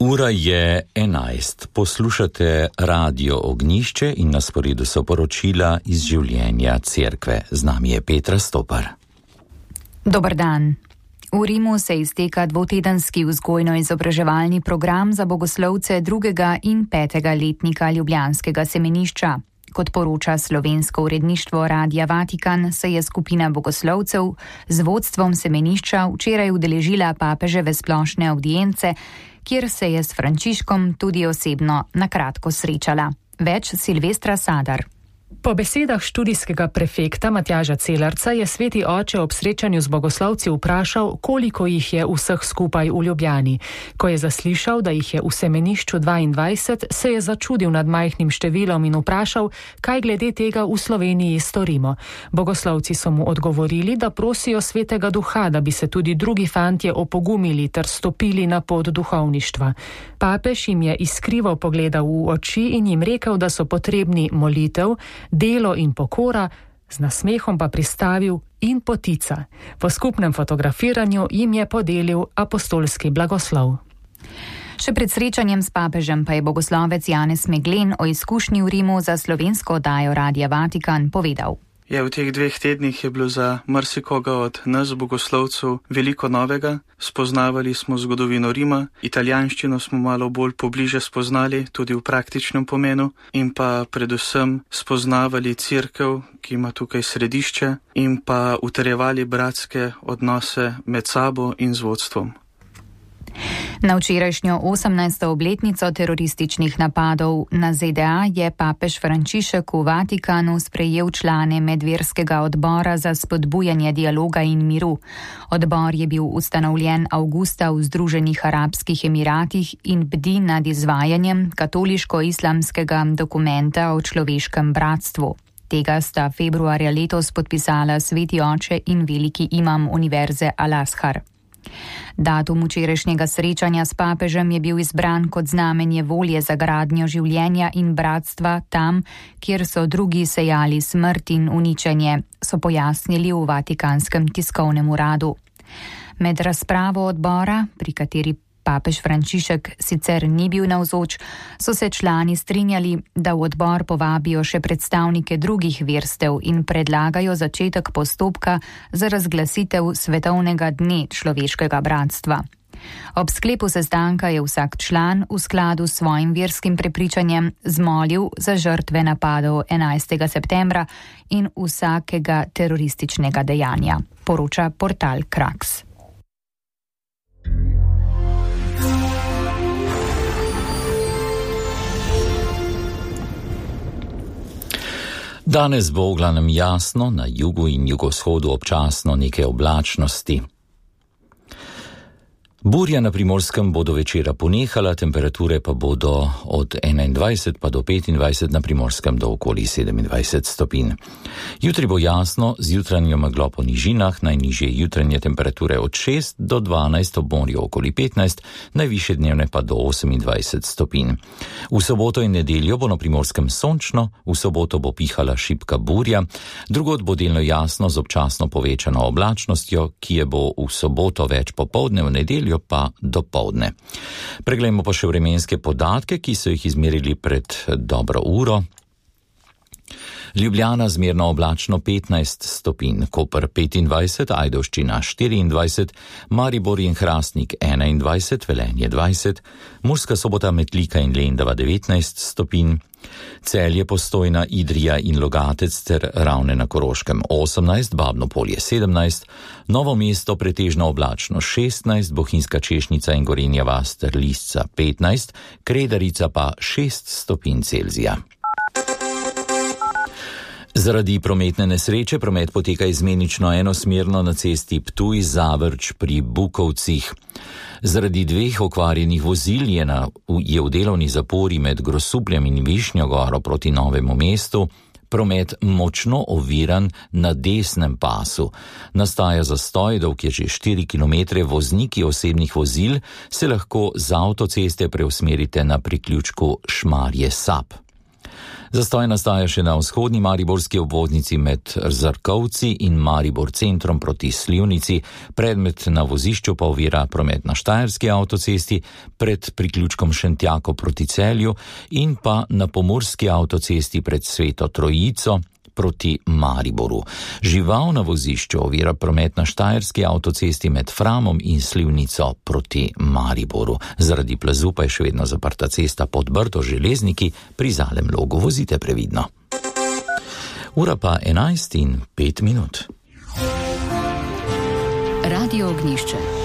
Ura je 11. Poslušate Radio Ognjišče in na sporedu so poročila iz življenja cerkve. Z nami je Petra Stopar. Dober dan. V Rimu se izteka dvotedenski vzgojno-izobraževalni program za bogoslovce 2. in 5. letnika ljubljanskega semenišča. Kot poroča slovensko uredništvo Radia Vatikan, se je skupina bogoslovcev z vodstvom semenišča včeraj udeležila papeževe splošne avdience, kjer se je s Frančiškom tudi osebno na kratko srečala. Več Silvestra Sadar. Po besedah študijskega prefekta Matjaža Celarca je sveti oče ob srečanju z bogoslovci vprašal, koliko jih je vseh skupaj v Ljubljani. Ko je zaslišal, da jih je v semenišču 22, se je začudil nad majhnim številom in vprašal, kaj glede tega v Sloveniji storimo. Bogoslovci so mu odgovorili, da prosijo svetega duha, da bi se tudi drugi fantje opogumili ter stopili na pot duhovništva. Papež jim je iskrivo pogledal v oči in jim rekel, da so potrebni molitev, delo in pokora, z nasmehom pa pristavil in potica. Po skupnem fotografiranju jim je podelil apostolski blagoslov. Še pred srečanjem s papežem pa je bogoslovec Janez Meglen o izkušnji v Rimu za slovensko oddajo Radia Vatikan povedal. V teh 2 tednih je bilo za marsikoga od nas bogoslovcev veliko novega. Spoznavali smo zgodovino Rima, italijanščino smo malo bolj pobliže spoznali, tudi v praktičnem pomenu, in pa predvsem spoznavali cerkev, ki ima tukaj središče, in pa utrjevali bratske odnose med sabo in z vodstvom. Na včerajšnjo 18. obletnico terorističnih napadov na ZDA je papež Frančišek v Vatikanu sprejel člane medverskega odbora za spodbujanje dialoga in miru. Odbor je bil ustanovljen avgusta v Združenih arabskih emiratih in bdi nad izvajanjem katoliško-islamskega dokumenta o človeškem bratstvu. Tega sta februarja letos podpisala sveti oče in veliki imam univerze Al-Azhar. Datum včerajšnjega srečanja s papežem je bil izbran kot znamenje volje za gradnjo življenja in bratstva tam, kjer so drugi sejali smrt in uničenje, so pojasnili v Vatikanskem tiskovnem uradu. Med razpravo odbora, pri kateri papež Frančišek sicer ni bil navzoč, so se člani strinjali, da v odbor povabijo še predstavnike drugih verstev in predlagajo začetek postopka za razglasitev svetovnega dne človeškega bratstva. Ob sklepu sestanka je vsak član v skladu s svojim verskim prepričanjem zmolil za žrtve napadov 11. septembra in vsakega terorističnega dejanja, poroča portal Kraks. Danes bo v glavnem jasno, na jugu in jugovzhodu občasno nekaj oblačnosti. Burja na Primorskem bo do večera ponehala, temperature pa bodo od 21 pa do 25, na Primorskem do okoli 27 stopinj. Jutri bo jasno, z jutranjo meglo po nižinah, najnižje jutranje temperature od 6 do 12, ob morju okoli 15, najvišje dnevne pa do 28 stopinj. V soboto in nedeljo bo na Primorskem sončno, v soboto bo pihala šibka burja, drugod bo delno jasno z občasno povečano oblačnostjo, ki je bo v soboto več popoldne, v nedeljo pa dopoldne. Preglejmo pa še vremenske podatke, ki so jih izmerili pred dobro uro. Ljubljana zmerno oblačno 15 stopinj, Koper 25, Ajdovščina 24, Maribor in Hrastnik 21, Velenje 20, Murska Sobota, Metlika in Lendava 19 stopinj, Celje, Postojna, Idrija in Logatec ter Ravne na Koroškem 18, Babno Polje 17, Novo mesto pretežno oblačno 16, Bohinjska Češnica in Gorenja vas ter Lisca 15, Kredarica pa 6 stopinj Celzija. Zaradi prometne nesreče promet poteka izmenično enosmerno na cesti Ptuj-Zavrč pri Bukovcih. Zaradi 2 okvarjenih vozil je v delovni zapori med Grosupljem in Višnjo Goro proti Novemu mestu promet močno oviran na desnem pasu. Nastaja zastoj, dolg je že 4 km, vozniki osebnih vozil se lahko z avtoceste preusmerite na priključku Šmarje-Sap. Zastoj nastaja še na vzhodni mariborski obvoznici med Zrkovci in Maribor centrom proti Slivnici, predmet na vozišču pa ovira promet na Štajerski avtocesti, pred priključkom Šentjako proti Celju in pa na Pomurski avtocesti pred Sveto Trojico proti Mariboru. Žival na vozišču ovira promet na Štajerski avtocesti med Framom in Slivnico proti Mariboru. Zaradi plazu pa je še vedno zaprta cesta pod Brdo Železniki, pri Zalem Logu vozite previdno. Ura pa 11:05. Radio Ognjišče.